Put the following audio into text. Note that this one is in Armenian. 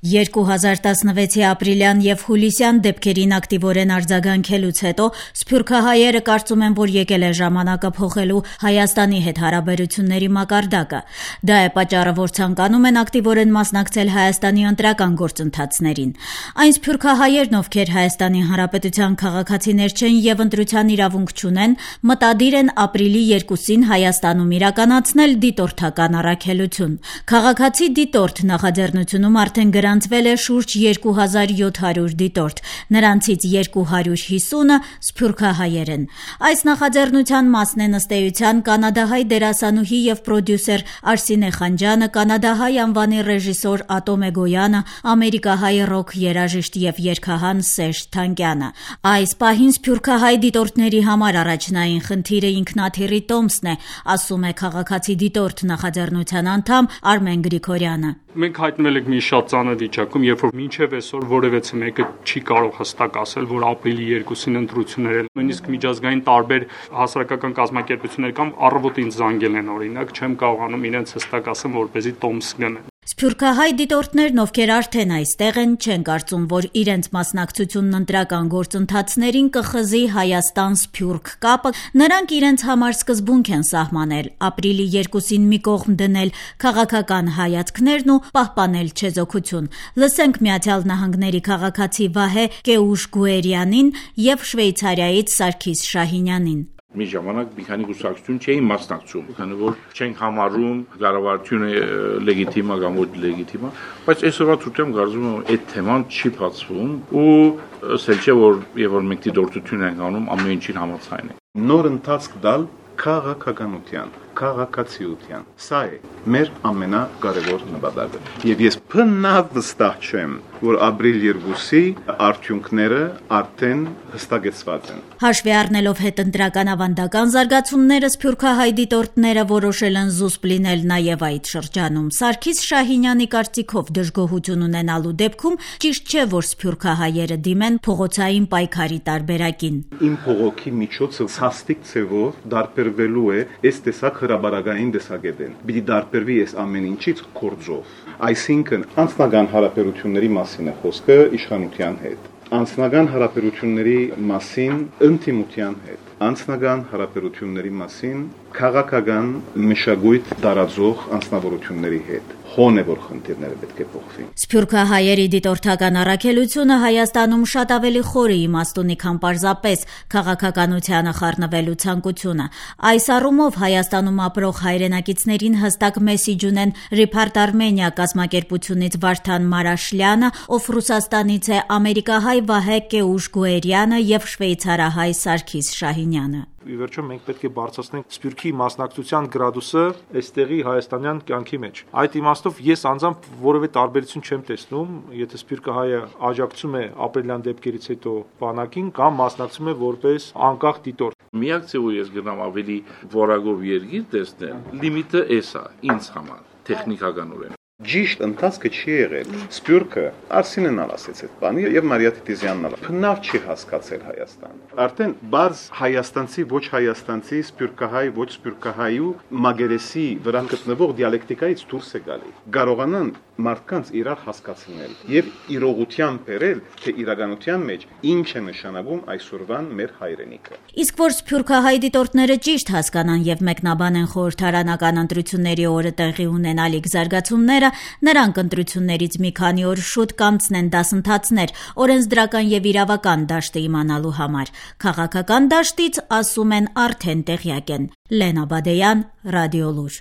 2016-ի ապրիլյան եւ հուլիսյան դեպքերին ակտիվորեն արձագանքելուց հետո սփյուռքահայերը կարծում են, որ եկել է ժամանակը փոխելու Հայաստանի հետ հարաբերությունների մակարդակը։ Դա է պատճառը, որ ցանկանում են ակտիվորեն մասնակցել Հայաստանի ընտրական գործընթացներին։ Այն սփյուռքահայերն, ովքեր Հայաստանի Հանրապետության քաղաքացիներ չեն եւ ընտրության իրավունք չունեն, մտադիր են ապրիլի 2-ին Հայաստանում իրականացնել դիտորդական առաքելություն։ Քաղաքացի դիտորդ նախաձեռնությունում արդեն գրանցվել է շուրջ 2700 դիտորդ, նրանցից 250-ը սփյուռքահայեր են։ Այս նախաձեռնության մասն է ըստ էության կանադահայ դերասանուհի եւ պրոդյուսեր Արսինե Խանջյանը, կանադահայ անվանի ռեժիսոր Ատոմե Գոյանը, ամերիկահայ ռոք երաժիշտ եւ երգահան Սերժ Թանկյանը։ Այս պահին սփյուռքահայ դիտորդների համար առաջնային խնդիրը ինքնաթիռի տոմսն է, ասում է քաղաքացի դիտորդ նախաձեռնության անդամ Արմեն Գրիգորյանը։ Մենք հայտնվել ենք մի շատ ծանր վիճակում, երբ որ մինչև այսօր որևէ մեկը չի կարող հստակ ասել, որ ապրիլի 2-ին ընտրություններ են։ Նույնիսկ միջազգային տարբեր հասարակական կազմակերպություններ կամ առավոտ ինձ զանգել են, օրինակ, չեմ կարողանում իրենց հստակ ասեմ, որպեսզի տոմս գնեն։ Սփյուռքահայ դիտորդներն, ովքեր արդեն այստեղ են, չեն կարծում, որ իրենց մասնակցությունն ընտրական գործընթացներին կխզի Հայաստան-Սփյուռք կապը։ Նրանք իրենց համար սկզբունք են սահմանել՝ ապրիլի 2-ին մի կողմ դնել քաղաքական հայացքներն ու պահպանել չեզոքություն։ Լսենք Միացյալ Նահանգների քաղաքացի Վահե Կեուշ-Գուերյանին եւ Շվեյցարիայից Սարգիս Շահինյանին։ Մի ժամանակ մի քանի կուսակցություն չէին մասնակցում, քանի որ չենք համարում կառավարությունը լեգիտիմ կամ ոչ լեգիտիմ, բայց այսօրվա ցույցում կարծում եմ այդ թեման չի բացվում ու ասել չէ որ եւ որ մենք դիտորդություն ենք անում ամեն ինչին համաձայն ենք։ Նոր ընթացք տալ քաղաքականության, քաղաքացիության։ Սա է մեր ամենակարևոր նպատակը։ Եվ ես բնավ վստահ չեմ, որ ապրիլ 2-ի արդյունքները արդեն հստակեցված են։ Հաշվի առնելով հետընտրական ավանդական զարգացումները, սփյուռքահայ դիտորդները որոշել են զուսպ լինել նաև այդ շրջանում։ Սարգիս Շահինյանի կարծիքով դժգոհություն ունենալու դեպքում ճիշտ չէ, որ սփյուռքահայերը դիմեն փողոցային պայքարի տարբերակին։ Իմ փողոքի միջոցը սաստիկ ցևով դարբերվելու է այս տեսակ հրաբարակային տեսակետեն։ Պիտի դարբերվի այս ամեն ինչից կորձով։ Այսինքն անձնական հարաբերությունների մասին է խոսքը իշխանության հետ։ Անձնական հարաբերությունների մասին ընդդիմության հետ։ Անձնական հարաբերությունների մասին քաղաքական մշակույթ տարածող անձնավորությունների հետ։ Հոն է որ խնդիրները պետք է փոխվի։ Սփյուռքահայերի դիտորդական առաքելությունը Հայաստանում շատ ավելի խորը իմաստ ունի, քան պարզապես քաղաքականությանը խառնվելու ցանկությունը։ Այս առումով Հայաստանում ապրող հայրենակիցներին հստակ մեսիջ ունեն Report Armenia կազմակերպությունից Վարդան Մարաշլյանը, ով Ռուսաստանից է, ամերիկահայ Վահե Կեուշ-Գուերյանը եւ շվեյցարահայ Սարգիս Շահինյանը։ Ի վերջո մենք պետք է բարձրացնենք սփյուռքի մասնակցության գրադուսը այստեղի հայաստանյան կյանքի մեջ։ Այդ իմաստով ես անձամբ որևէ տարբերություն չեմ տեսնում, եթե սփյուռքահայը աջակցում է ապրիլյան դեպքերից հետո բանակին կամ մասնակցում է որպես անկախ դիտորդ։ Միակ ձևը ես գնամ ավելի որակով երկիր տեսնել, լիմիտը էս է ինձ համար, տեխնիկականորեն։ Ճիշտ ընթացքը չի եղել։ Սփյուռքը Արսինեն ասեց այդ բանը եւ Մարիա Տիտիզյանն բնավ չի հասկացել Հայաստան։ Արդեն բարձ հայաստանցի ոչ հայաստանցի, սփյուռքահայ ոչ սփյուռքահայու մագերեսի վրա գտնվող դիալեկտիկայից դուրս է գալի։ Կարողանան մարդկանց իրար հասկացնել եւ իրողության բերել, թե իրականության մեջ ինչ է նշանակում այսօրվան մեր հայրենիքը։ Իսկ որ սփյուռքահայ դիտորդները ճիշտ հասկանան եւ մեկնաբանեն խորհրդարանական ընտրությունների օրը տեղի ունենալիք զարգացումները, նրանք ընտրություններից մի քանի օր շուտ կանցնեն դասընթացներ օրենսդրական եւ իրավական դաշտը իմանալու համար։ Քաղաքական դաշտից, ասում են, արդեն տեղյակ են։ Լենա Բադեյան, Ռադիոլուր։